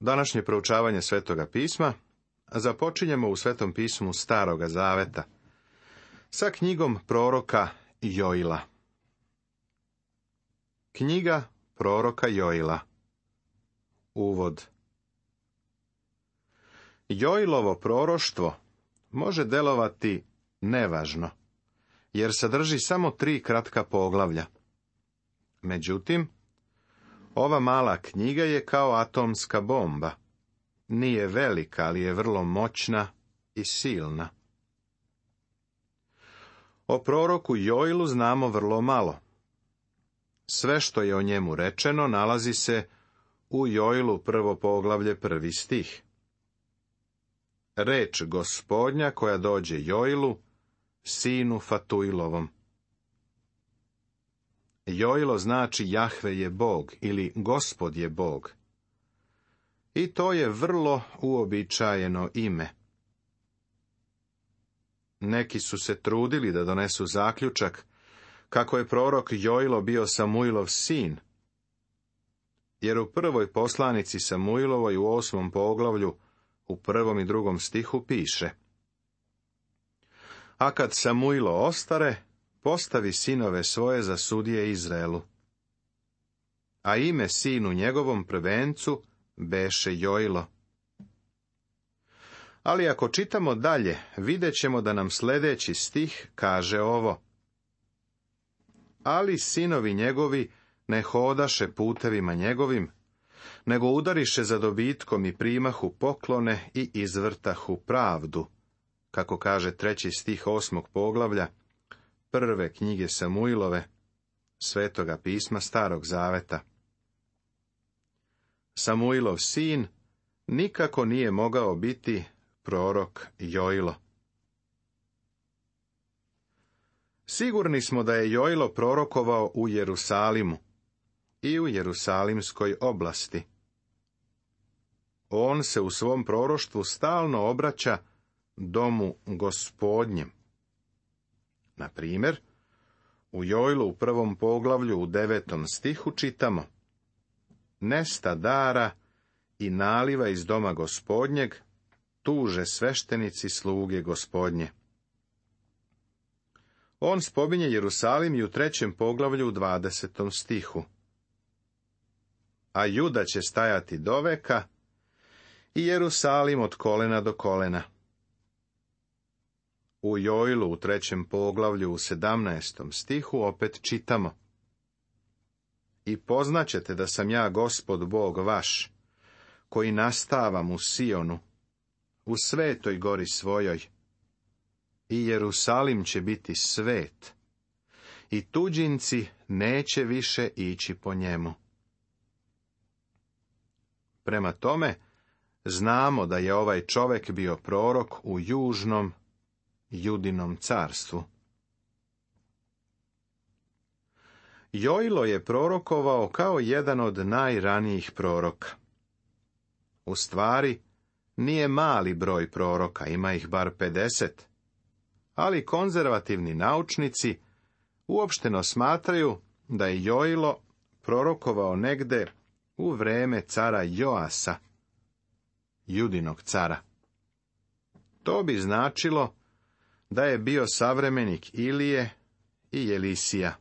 Današnje proučavanje Svetoga pisma započinjemo u Svetom pismu Staroga zaveta sa knjigom proroka Joila. Knjiga proroka Joila. Uvod. Joilovo proroštvo može delovati nevažno, jer sadrži samo 3 kratka poglavlja. Međutim, ova mala knjiga je kao atomska bomba. Nije velika, ali je vrlo moćna i silna. O proroku Joilu znamo vrlo malo. Sve što je o njemu rečeno nalazi se u Joilu 1. poglavlje 1. stih. Reč Gospodnja koja dođe Joilu, sinu Fatuilovom. Joilo znači Jahve je Bog ili Gospod je Bog. I to je vrlo uobičajeno ime. Neki su se trudili da donesu zaključak kako je prorok Joilo bio Samuilov sin, jer u prvoj poslanici Samuilovoj u 8. poglavlju u 1. i 2. stihu piše: A kad Samuilo ostare, postavi sinove svoje za sudije Izraelu. A ime sinu njegovom prvencu beše Joilo. Ali ako čitamo dalje, vidjet ćemo da nam sljedeći stih kaže ovo: Ali sinovi njegovi ne hodaše putevima njegovim, nego udariše za dobitkom i primahu poklone i izvrtahu pravdu, kako kaže 3. stih 8. poglavlja prve knjige Samuilove, Svetoga pisma Starog zaveta. Samuilov sin nikako nije mogao biti prorok Joilo. Sigurni smo da je Joilo prorokovao u Jerusalimu i u Jerusalimskoj oblasti. On se u svom proroštvu stalno obraća domu Gospodnjem. Na primjer, u Joilu u 1. poglavlju u 9. stihu čitamo: Nesta dara i naliva iz doma Gospodnjeg, tuže sveštenici sluge Gospodnje. On spominje Jerusalim i u 3. poglavlju u 20. stihu. A Juda će stajati doveka i Jerusalim od kolena do kolena. U Joilu u 3. poglavlju u 17. stihu opet čitamo: I poznaćete da sam ja Gospod Bog vaš, koji nastavam u Sionu, u svetoj gori svojoj. I Jerusalim će biti svet, i tuđinci neće više ići po njemu. Prema tome, znamo da je ovaj čovjek bio prorok u južnom Judinom carstvu. Joilo je prorokovao kao jedan od najranijih proroka. U stvari, nije mali broj proroka, ima ih bar 50, ali konzervativni naučnici uopšteno smatraju da je Joilo prorokovao negde u vreme cara Joasa, Judinog cara. To bi značilo da je bio savremenik Ilije i Elisija.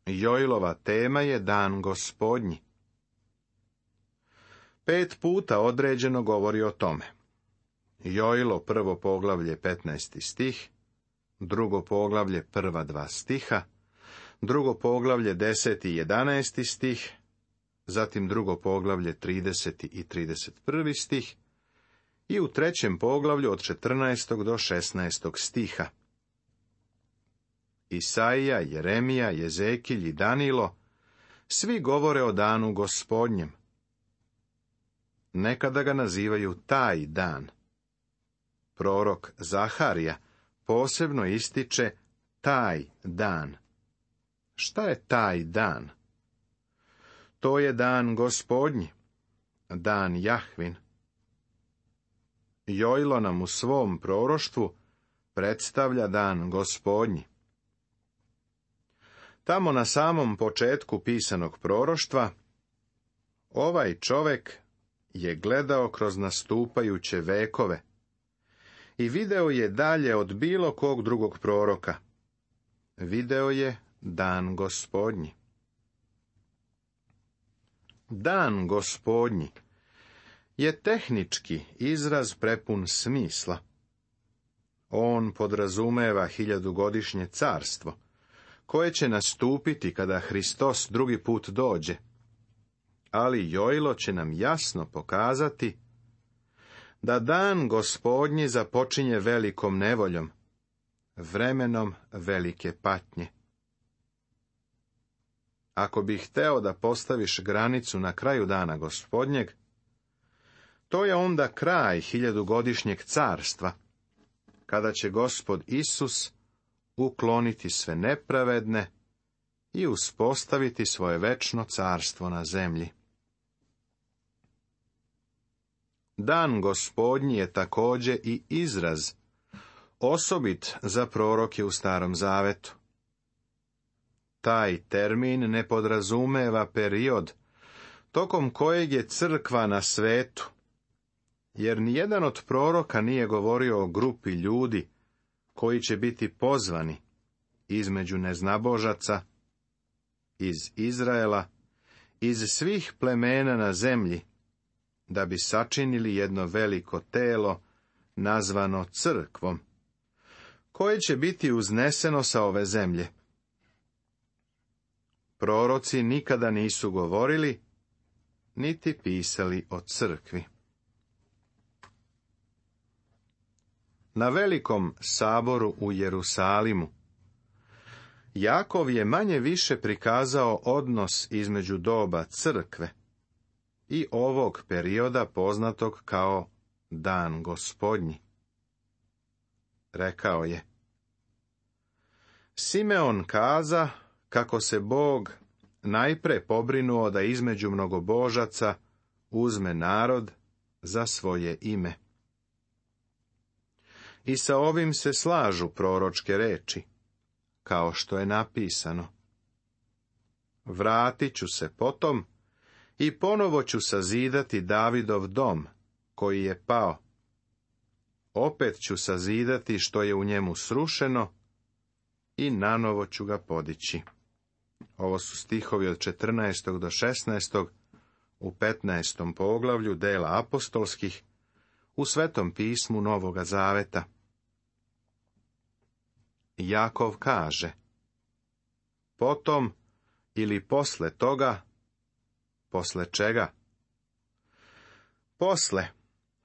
Joilova tema je dan Gospodnji. 5 puta određeno govori o tome. Joilo 1. poglavlje 15. stih, 2. poglavlje 1. 2 stiha, 2. poglavlje 10. i 11. stih, zatim 2. poglavlje 30. i 31. stih i u 3. poglavlju od 14. do 16. stiha. Isaija, Jeremija, Jezekilj i Danilo svi govore o danu Gospodnjem. Nekada ga nazivaju taj dan. Prorok Zaharija posebno ističe taj dan. Šta je taj dan? To je dan Gospodnji, dan Jahvin. Joilo nam u svom proroštvu predstavlja dan Gospodnji. Tamo na samom početku pisanog proroštva Ovaj čovek je gledao kroz nastupajuće vekove i video je dalje od bilo kog drugog proroka. Video je dan Gospodnji. Dan Gospodnji je tehnički izraz prepun smisla. On podrazumeva 1000-godišnje carstvo, koje će nastupiti kada Hristos drugi put dođe. Ali Jojlo će nam jasno pokazati da dan Gospodnji započinje velikom nevoljom, vremenom velike patnje. Ako bih hteo da postaviš granicu na kraju dana Gospodnjeg, to je onda kraj 1000-godišnjeg carstva, kada će Gospod Isus ukloniti sve nepravedne i uspostaviti svoje večno carstvo na zemlji. Dan Gospodnji je također i izraz, osobit za proroke u Starom Zavetu. Taj termin ne podrazumeva period tokom kojeg je crkva na svetu, jer nijedan od proroka nije govorio o grupi ljudi koji će biti pozvani između neznabožaca, iz Izraela, iz svih plemena na zemlji, da bi sačinili jedno veliko telo nazvano crkvom, koje će biti uzneseno sa ove zemlje. Proroci nikada nisu govorili, niti pisali o crkvi. Na velikom saboru u Jerusalimu, Jakov je manje više prikazao odnos između doba crkve i ovog perioda poznatog kao Dan Gospodnji. Rekao je: Simeon kaza kako se Bog najpre pobrinuo da između mnogobožaca uzme narod za svoje ime. I sa ovim se slažu proročke reči, kao što je napisano: Vratit ću se potom i ponovo ću sazidati Davidov dom, koji je pao. Opet ću sazidati što je u njemu srušeno i nanovo ću ga podići. Ovo su stihovi od 14. do 16. u 15. poglavlju dela apostolskih u Svetom pismu Novoga Zaveta. Jakov kaže: Potom ili posle toga, posle čega? Posle,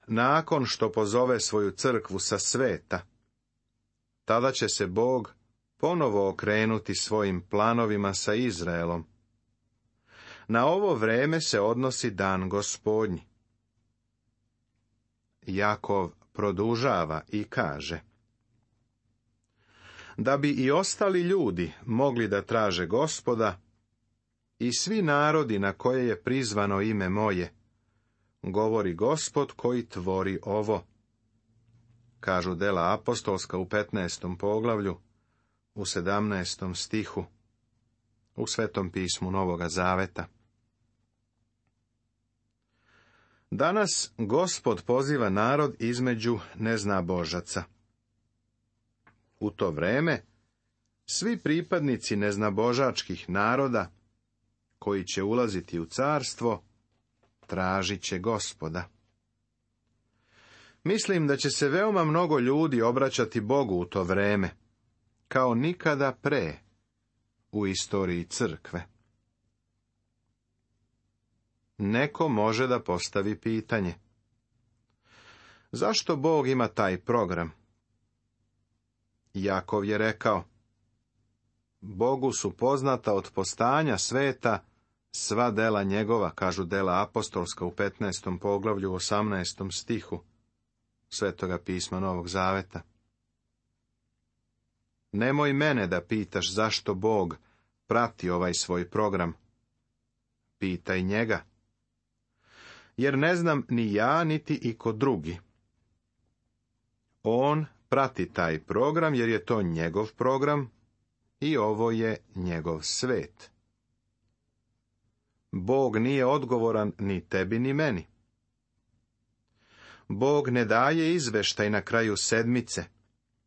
nakon što pozove svoju crkvu sa sveta, tada će se Bog ponovo okrenuti svojim planovima sa Izraelom. Na ovo vreme se odnosi Dan Gospodnji. Jakov produžava i kaže: Da bi i ostali ljudi mogli da traže Gospoda, i svi narodi na koje je prizvano ime moje, govori Gospod koji tvori ovo. Kažu dela apostolska u 15. poglavlju, u 17. stihu, u Svetom pismu Novoga Zaveta. Danas Gospod poziva narod između neznabožaca. U to vreme svi pripadnici neznabožačkih naroda koji će ulaziti u carstvo, tražit će Gospoda. Mislim da će se veoma mnogo ljudi obraćati Bogu u to vreme, kao nikada pre u istoriji crkve. Neko može da postavi pitanje: zašto Bog ima taj program? Jakov je rekao: Bogu su poznata od postanja sveta sva dela njegova, kažu dela apostolska u 15. poglavlju 18. stihu Svetoga pisma Novog Zaveta. Nemoj mene da pitaš zašto Bog prati ovaj svoj program. Pitaj njega. Jer ne znam ni ja, niti iko drugi. On prati taj program jer je to njegov program i ovo je njegov svet. Bog nije odgovoran ni tebi ni meni. Bog ne daje izveštaj na kraju sedmice,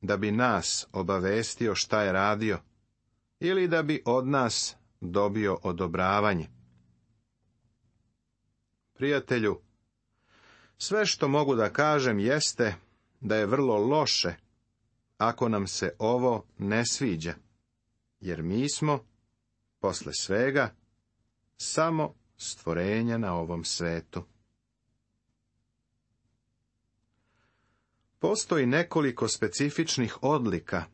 da bi nas obavestio šta je radio, ili da bi od nas dobio odobravanje. Prijatelju, sve što mogu da kažem jeste da je vrlo loše ako nam se ovo ne sviđa, jer mi smo, posle svega, samo stvorenja na ovom svetu. Postoji nekoliko specifičnih odlika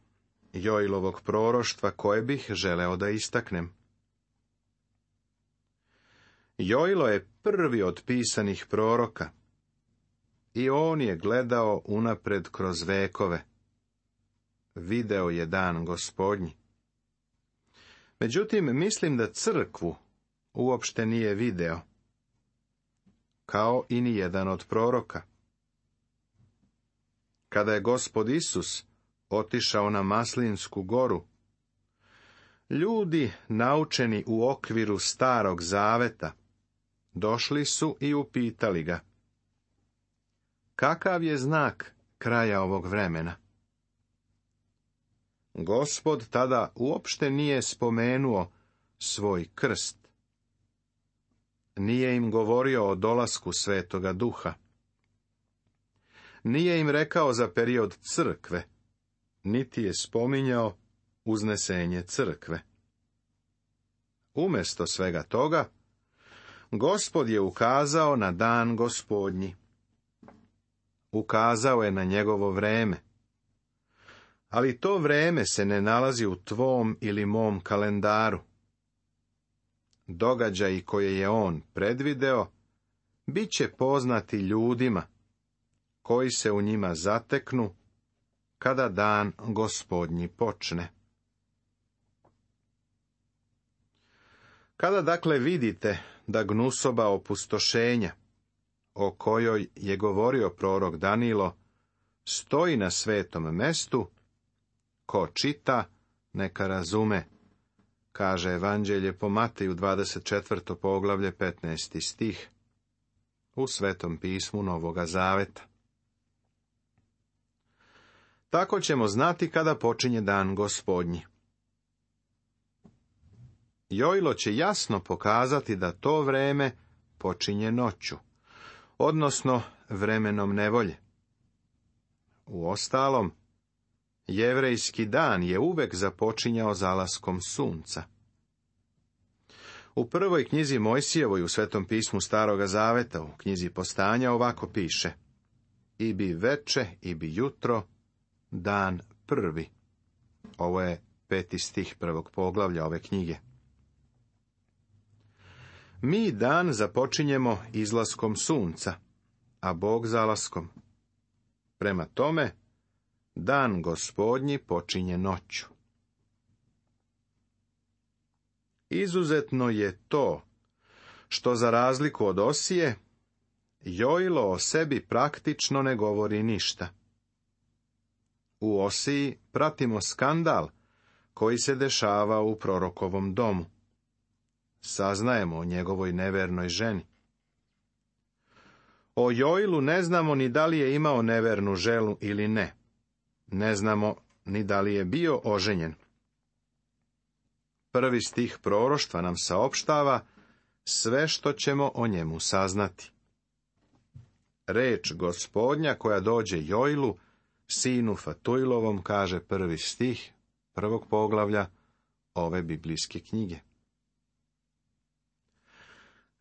Joilovog proroštva koje bih želeo da istaknem. Joilo je prvi od pisanih proroka i on je gledao unapred kroz vekove. Video je dan Gospodnji. Međutim, mislim da crkvu uopšte nije video, kao i ni jedan od proroka. Kada je Gospod Isus otišao na Maslinsku goru, ljudi naučeni u okviru Starog Zaveta došli su i upitali ga: kakav je znak kraja ovog vremena? Gospod tada uopšte nije spomenuo svoj krst. Nije im govorio o dolasku Svetoga Duha. Nije im rekao za period crkve, niti je spominjao uznesenje crkve. Umjesto svega toga, Gospod je ukazao na dan Gospodnji. Ukazao je na njegovo vreme. Ali to vreme se ne nalazi u tvom ili mom kalendaru. Događaji koje je on predvideo bit će poznati ljudima koji se u njima zateknu kada dan Gospodnji počne. Kada dakle vidite da gnusoba opustošenja, o kojoj je govorio prorok Danilo, stoji na svetom mestu, ko čita, neka razume, kaže Evanđelje po Mateju 24. poglavlje 15. stih u Svetom pismu Novoga Zaveta. Tako ćemo znati kada počinje dan Gospodnji. Joilo će jasno pokazati da to vreme počinje noću, odnosno vremenom nevolje. Uostalom, jevrejski dan je uvek započinjao zalaskom sunca. U prvoj knjizi Mojsijevoj u Svetom pismu Staroga Zaveta, u knjizi Postanja, ovako piše: i bi veče, i bi jutro, dan prvi. Ovo je 5. stih 1. poglavlja ove knjige. Mi dan započinjemo izlaskom sunca, a Bog zalaskom. Prema tome, dan Gospodnji počinje noću. Izuzetno je to, što za razliku od Osije, Joilo o sebi praktično ne govori ništa. U Osiji pratimo skandal koji se dešava u prorokovom domu. Saznajemo o njegovoj nevernoj ženi. O Joilu ne znamo ni da li je imao nevernu ženu ili ne. Ne znamo ni da li je bio oženjen. Prvi stih proroštva nam saopštava sve što ćemo o njemu saznati. Reč Gospodnja koja dođe Joilu, sinu Fatuilovom, kaže 1. stih 1. poglavlja ove biblijske knjige.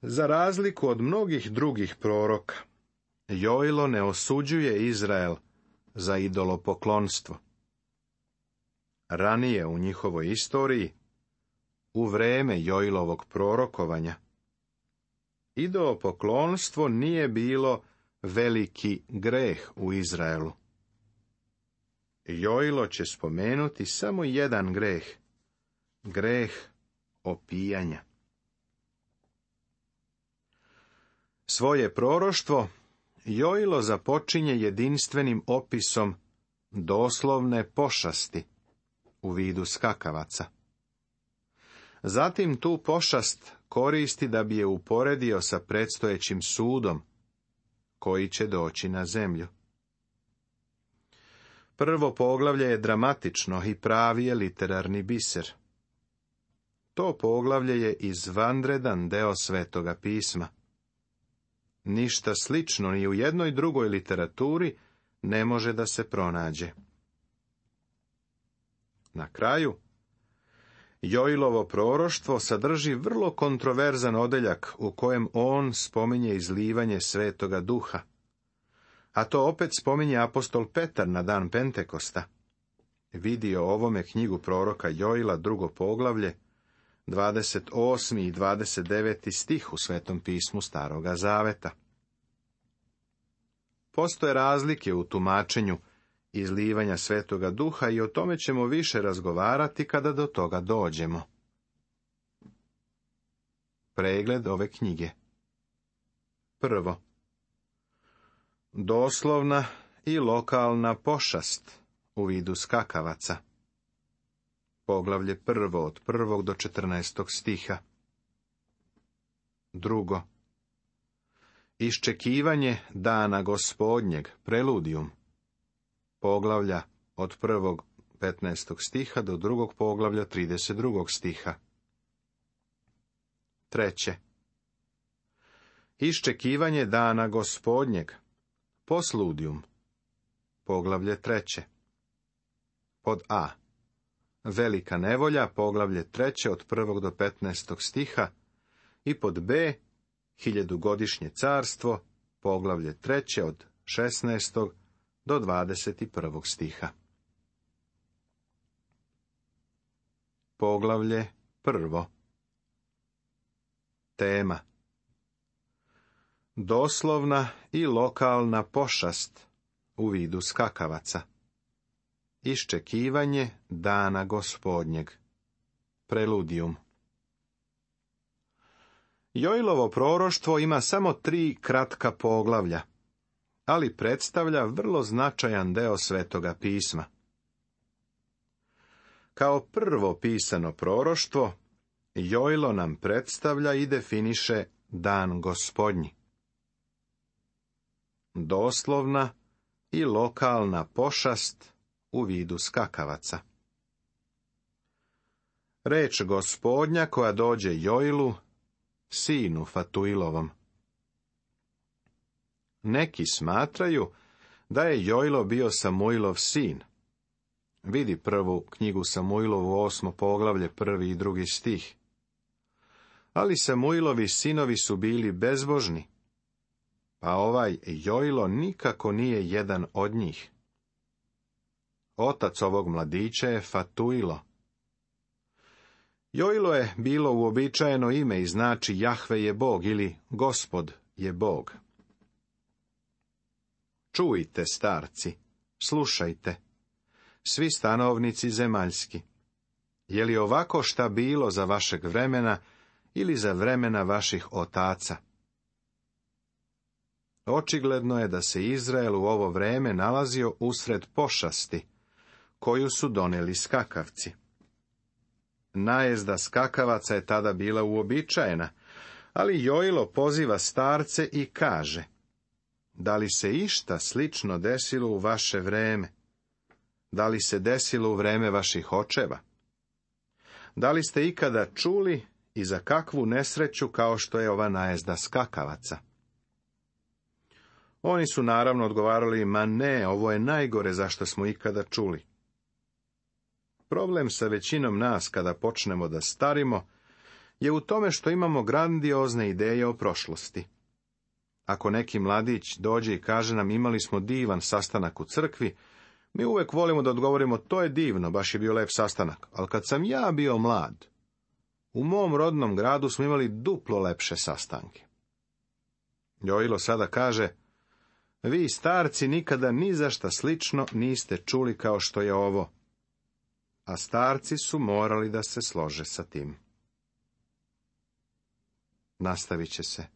Za razliku od mnogih drugih proroka, Joilo ne osuđuje Izrael za idolopoklonstvo. Ranije u njihovoj istoriji, u vreme Joilovog prorokovanja, idolopoklonstvo nije bilo veliki greh u Izraelu. Joilo će spomenuti samo jedan greh, greh opijanja. Svoje proroštvo Joilo započinje jedinstvenim opisom doslovne pošasti u vidu skakavaca. Zatim tu pošast koristi da bi je uporedio sa predstojećim sudom, koji će doći na zemlju. Prvo poglavlje je dramatično i pravi je literarni biser. To poglavlje je izvanredan deo Svetoga pisma. Ništa slično ni u jednoj drugoj literaturi ne može da se pronađe. Na kraju, Joilovo proroštvo sadrži vrlo kontroverzan odeljak u kojem on spominje izlivanje Svetoga Duha. A to opet spominje apostol Petar na dan Pentekosta. Vidi o ovome knjigu proroka Joila, 2. poglavlje, 28. i 29. stih u Svetom pismu Staroga Zaveta. Postoje razlike u tumačenju izlivanja Svetoga Duha i o tome ćemo više razgovarati kada do toga dođemo. Pregled ove knjige. Prvo, doslovna i lokalna pošast u vidu skakavaca. Poglavlje 1. od 1. do 14. stiha. Drugo, iščekivanje dana Gospodnjeg, preludijum. Poglavlja od 1. 15. stiha do 2. poglavlja 32. stiha. Treće, iščekivanje dana Gospodnjeg, posludijum. Poglavlje 3. Pod A, velika nevolja, poglavlje 3. od 1. do 15. stiha, i pod B, hiljadugodišnje carstvo, poglavlje 3. od 16. do 21. stiha. Poglavlje 1. Tema: doslovna i lokalna pošast u vidu skakavaca. Iščekivanje dana Gospodnjeg. Preludijum. Joilovo proroštvo ima samo 3 kratka poglavlja, ali predstavlja vrlo značajan deo Svetoga pisma. Kao prvo pisano proroštvo, Joilo nam predstavlja i definiše dan Gospodnji. Doslovna i lokalna pošast u vidu skakavaca. Reč Gospodnja koja dođe Joilu, sinu Fatuilovom. Neki smatraju da je Joilo bio Samuilov sin. Vidi prvu knjigu Samuilovu, 8. poglavlje, 1. i 2. stih. Ali Samuilovi sinovi su bili bezbožni, pa ovaj Joilo nikako nije jedan od njih. Otac ovog mladića je Fatuilo. Joilo je bilo uobičajeno ime i znači Jahve je Bog ili Gospod je Bog. Čujte, starci, slušajte, svi stanovnici zemaljski. Je li ovako šta bilo za vašeg vremena ili za vremena vaših otaca? Očigledno je da se Izrael u ovo vreme nalazio usred pošasti, koju su doneli skakavci. Najezda skakavaca je tada bila uobičajena, ali Joilo poziva starce i kaže: da li se išta slično desilo u vaše vreme? Da li se desilo u vreme vaših očeva? Da li ste ikada čuli i za kakvu nesreću kao što je ova najezda skakavaca? Oni su naravno odgovarali: ma ne, ovo je najgore za što smo ikada čuli. Problem sa većinom nas kada počnemo da starimo je u tome što imamo grandiozne ideje o prošlosti. Ako neki mladić dođe i kaže nam: imali smo divan sastanak u crkvi, mi uvek volimo da odgovorimo: to je divno, baš je bio lep sastanak, ali kad sam ja bio mlad, u mom rodnom gradu smo imali duplo lepše sastanke. Joilo sada kaže: vi starci nikada ni za šta slično niste čuli kao što je ovo. A starci su morali da se slože sa tim. Nastavit će se